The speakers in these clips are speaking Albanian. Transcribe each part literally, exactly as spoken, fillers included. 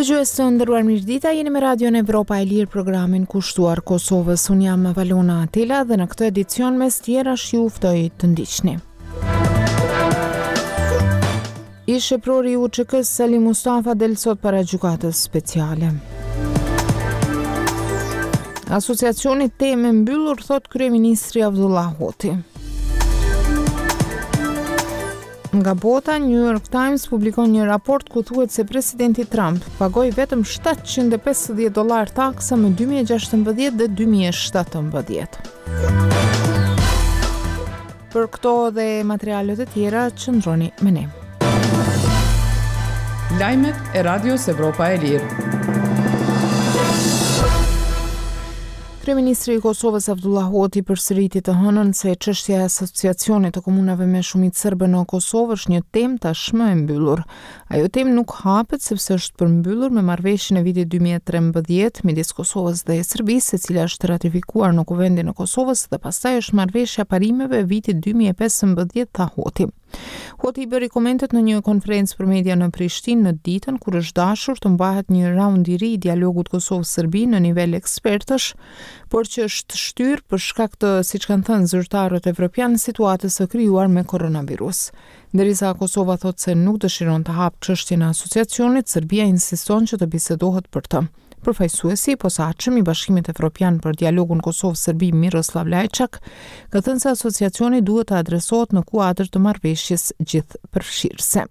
Dëgjues të nderuar, mirëdita, jeni me Radion Evropa e Lirë, programin kushtuar Kosovës. Unë jam Valona Atela dhe në këtë edicion mes tjerash ju ftoj të ndiqni. Ish-eprori i U Ç K-së Salih Mustafa del sot para Gjykatës Speciale. Asociacioni temë e mbyllur, thot kryeministri Avdullah Hoti. Nga bota, New York Times publikon një raport ku thuhet se presidenti Trump pagoi vetëm shtatëqind e pesëdhjetë dollar taksa më dy mijë e gjashtëmbëdhjetë dhe dy mijë e shtatëmbëdhjetë. Për këto dhe materialet e tjera, qëndroni me ne. Lajmet e Radios Evropa e Lirë. Kryeministri i Kosovës Avdullah Hoti përsëriti të hënën se çështja e asociacionit të komunave me shumicë serbe në Kosovë është një temë tashmë e mbyllur. Ajo temë nuk hapet sepse është përmbyllur me marrëveshjen e vitit dy mijë e trembëdhjetë midis Kosovës dhe Serbisë, e cila është ratifikuar në Kuvendin e Kosovës, dhe pastaj është marrëveshja parimeve e vitit dy mijë e pesëmbëdhjetë, tha Hoti. Hoti i bëri komentet në një konferencë për media në Prishtinë në ditën kur është dashur të mbahet një raund i ri i dialogut Kosovë-Serbi në nivel ekspertësh, por që është shtyrë për shkak të, siç kanë thënë zyrtarët evropian, situatës së krijuar me koronavirus. Derisa Kosova thotë se nuk dëshiron të hapë çështjen e asociacionit, Serbia insiston që të bisedohet për të. Përfaqësuesi i posaçëm i Bashkimit Evropian për dialogun Kosovë-Serbi, Miroslav Lajçak, ka thënë se asociacioni duhet të adresohet në kuadër të marrëveshjes gjithëpërfshirëse.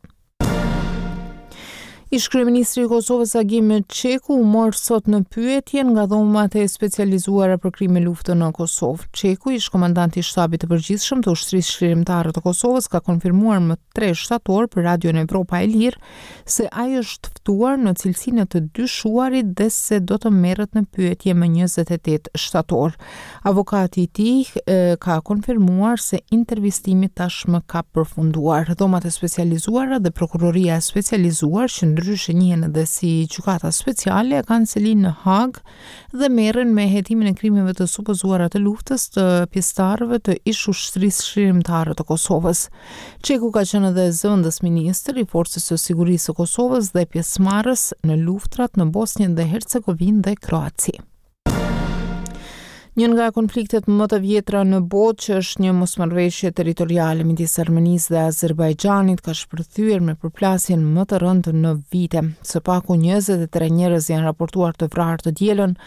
Ish kryeministri i Kosovës Agim Çeku u mor sot në pyetje nga dhomat e specializuara për krime luftë në Kosovë. Çeku, ish komandant i Shtabit të Përgjithshëm të Ushtrisë Çlirimtare të Kosovës, ka konfirmuar më tre shtator për Radion Evropa e Lirë se ai është ftuar në cilësinë e të dyshuarit dhe se do të merret në pyetje më njëzet e tetë shtator. Avokati i tij ka konfirmuar se intervistimi tashmë ka përfunduar. Dhomat e specializuara dhe prokuroria e specializuar, që ndryshe njihen edhe si Gjykata Speciale, kanë selinë në Hagë dhe merren me hetimin e krimeve të supozuara të luftës të pjesëtarëve të ish ushtrisë çlirimtare të Kosovës. Çeku ka qenë edhe zëvendës ministër i Forcës së Sigurisë së Kosovës dhe pjesëmarrës në luftrat në Bosnjë dhe Hercegovinë dhe Kroaci. Një nga konfliktet më të vjetra në botë, që është një mosmarrëveshje territoriale midis Armenisë dhe Azerbajxhanit, ka shpërthyer me përplasjen më të rëndë në vite. Së paku njëzet e tre njerëz janë raportuar të vrarë të dielën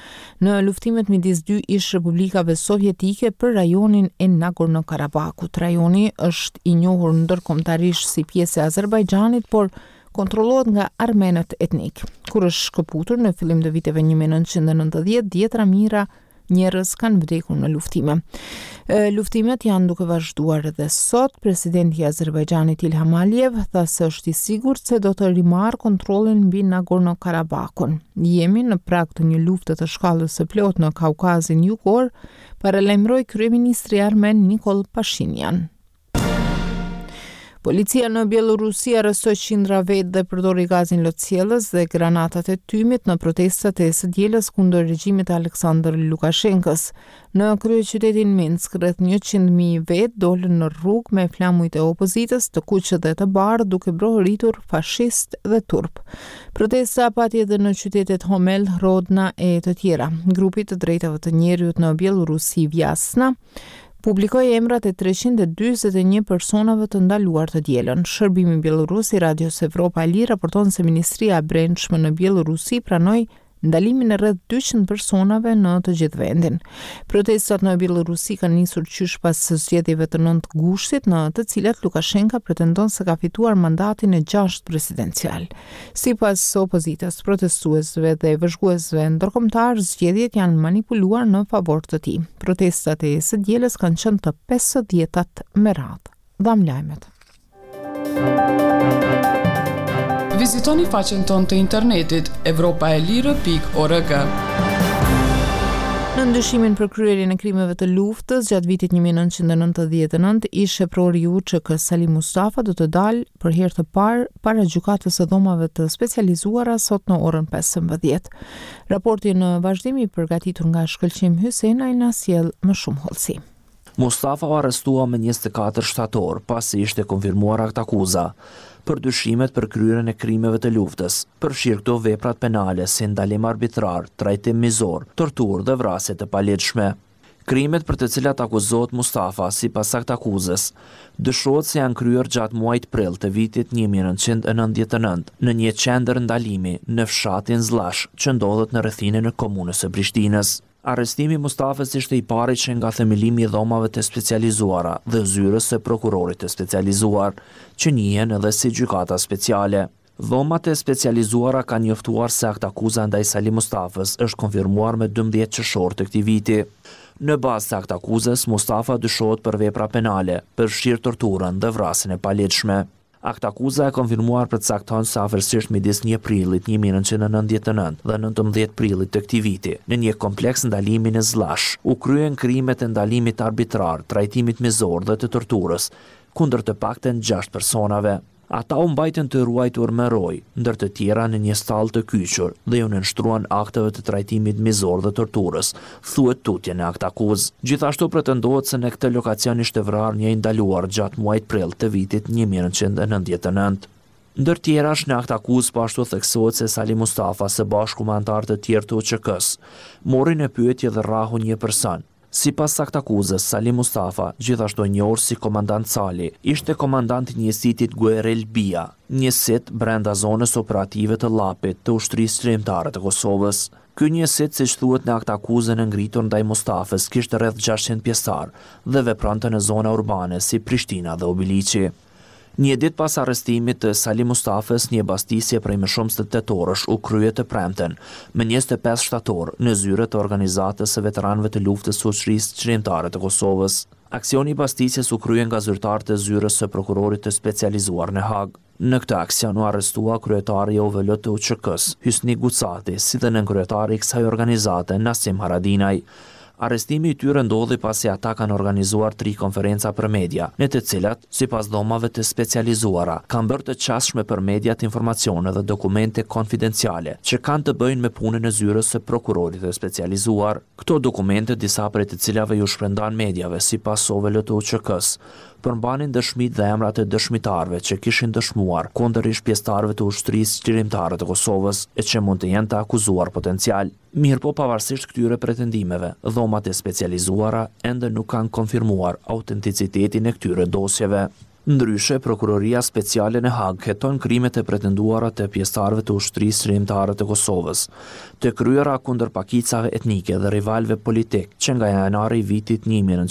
në luftimet midis dy ish republikave sovjetike për rajonin e Nagorno-Karabakut. Rajoni është i njohur ndërkombëtarisht si pjesë e Azerbajxhanit, por kontrollohet nga armenët etnik. Kur është shkëputur në fillim të viteve një mijë e nëntëqind e nëntëdhjetë, dhjetra mijëra njerëz kanë vdekur në luftime. Luftimet janë duke vazhduar edhe sot. Presidenti i Azerbajxhanit Ilham Aliyev tha se është i sigurt se do të rimarrë kontrollin mbi Nagorno-Karabakun. "Jemi në prag të një lufte të shkallës së plotë në Kaukazin Jugor", paralajmëroi kryeministri armen Nikol Pashinyan. Policia në Bielorusi arrestoi qindra vetë dhe përdori gazin lotsjellës dhe granatat e tymit në protestat e së dielës kundër regjimit të Aleksandr Lukashenkës. Në kryeqytetin Minsk, rreth njëqind mijë vetë dolën në rrugë me flamujt e opozitës, të kuq dhe të bardhë, duke brohoritur "fashist" dhe "turp". Protesta pati edhe në qytetet Homel, Hrodna e të tjera. Grupi të drejtave të njeriut në Bielorusi, Vjasna, publikoi emrat e treqind e dyzet e një personave të ndaluar të dielën. Shërbimi Bielorus i Radios Evropa e Lirë raporton se Ministria e Brendshme në Bielorusi pranoi ndalimin e rreth dyqind personave në të gjithë vendin. Protestat në Bielorusi kanë nisur qysh pas zgjedhjeve të nëntë gushtit, në të cilat Lukashenka pretendon se ka fituar mandatin e gjashtë presidencial. Sipas opozitës, protestuesve dhe vëzhguesve ndërkombëtar, zgjedhjet janë manipuluar në favor të tij. Protestat e së dielës kanë qenë të pesëdhjetat me radhë. Dham lajmet. Vizitoni faqen tonë të internetit evropaelire pikë org. Në dyshimin për kryerjen e krimeve të luftës gjatë vitit një mijë e nëntëqind e nëntëdhjetë e nëntë, ish eprori i U Ç K Salih Mustafa do të dalë për herë të parë para Gjykatës së Dhomave të Specializuara sot në orën pesëmbëdhjetë. Raporti në vazhdim, i përgatitur nga Shkëlqim Hysenaj, na sjell më shumë hollësi. Mustafa u arrestua më njëzet e katër shtator, pasi ishte konfirmuar aktakuza për dyshimet për kryerjen e krimeve të luftës, përfshirë këto veprat penale si ndalim arbitrar, trajtim mizor, torturë dhe vrasje të paligjshme. Krimet për të cilat akuzohet Mustafa, sipas aktakuzës, dyshohet se janë kryer gjatë muajit prill të vitit një mijë e nëntëqind e nëntëdhjetë e nëntë në një qendër ndalimi në fshatin Zllash, që ndodhet në rrethinën e komunës së Prishtinës. Arrestimi i Mustafës ishte i pari që nga themelimi i dhomave të specializuara dhe zyrës së prokurorit të specializuar, që njihen edhe si gjykata speciale. Dhomat e specializuara kanë njoftuar se aktakuza ndaj Salih Mustafës është konfirmuar me dymbëdhjetë qershor të këtij viti. Në bazë të aktakuzës, Mustafa dyshohet për vepra penale, përfshirë torturën dhe vrasjen e paligjshme. Aktakuza e konfirmuar përcakton se afërsisht midis një prillit një mijë e nëntëqind e nëntëdhjetë e nëntë dhe nëntëmbëdhjetë prillit të këtij viti, në një kompleks ndalimi në Zllash, u kryen krimet e ndalimit arbitrar, trajtimit mizor dhe të torturës, kundër të paktën gjashtë personave. Ata u mbajtën të ruajtur me rojë, ndër të tjera në një stallë të kyçur dhe ju nënshtruan akteve të trajtimit mizor dhe torturës, thuhet tutje në aktakuzë. Gjithashtu pretendohet se në këtë lokacion ishte vrarë një i ndaluar gjatë muajit prill të vitit një mijë e nëntëqind e nëntëdhjetë e nëntë. Ndër tjerash në aktakuzë po ashtu theksohet se Salih Mustafa së bashku me anëtarë të tjerë të U Ç K-s mori në pyetje dhe rrahu një person. Sipas aktakuzës, Salih Mustafa, gjithashtu i njohur si komandant Sali, ishte komandant i njësitit Guerril Bia, njësit brenda zonës operative të Llapit të Ushtrisë Çlirimtare të Kosovës. Ky njësit, siç thuhet në aktakuzën e ngritur ndaj Mustafës, kishte rreth gjashtëqind pjesëtar dhe vepronte në zona urbane si Prishtina dhe Obiliqi. Një ditë pas arrestimit të Salih Mustafës, një bastisje prej më shumë se tetë orësh u krye të premten, më njëzet e pesë shtator, në zyret e organizatës së veteranëve të luftës së Ushtrisë Çlirimtare të Kosovës. Aksioni i bastisjes u krye nga zyrtarët e zyrës së prokurorit të specializuar në Hagë. Në këtë aksion u arrestua kryetari i O V L të U Ç K-s, Hysni Gucati, si dhe nënkryetari i kësaj organizate, Nasim Haradinaj. Arrestimi i tyre ndodhi pasi ata kanë organizuar tri konferenca për media, në të cilat, sipas dhomave të specializuara, kanë bërë të qasshme për mediat informacione dhe dokumente konfidenciale që kanë të bëjnë me punën e zyrës së prokurorit të specializuar. Këto dokumente, disa prej të cilave ju shpërndan mediave sipas O V L të U Ç K-s, përmbanin dëshmitë dhe emrat e dëshmitarëve që kishin dëshmuar kundër ish pjesëtarëve të Ushtrisë Çlirimtare të Kosovës e që mund të jenë të akuzuar potencial. Mirëpo, pavarësisht këtyre pretendimeve, dhomat e specializuara ende nuk kanë konfirmuar autenticitetin e këtyre dosjeve. Ndryshe, Prokuroria Speciale në Hagë heton krimet e pretenduara të pjesëtarëve të Ushtrisë Çlirimtare të Kosovës, të kryera kundër pakicave etnike dhe rivalëve politik që nga janari i vitit një mijë e nëntëqind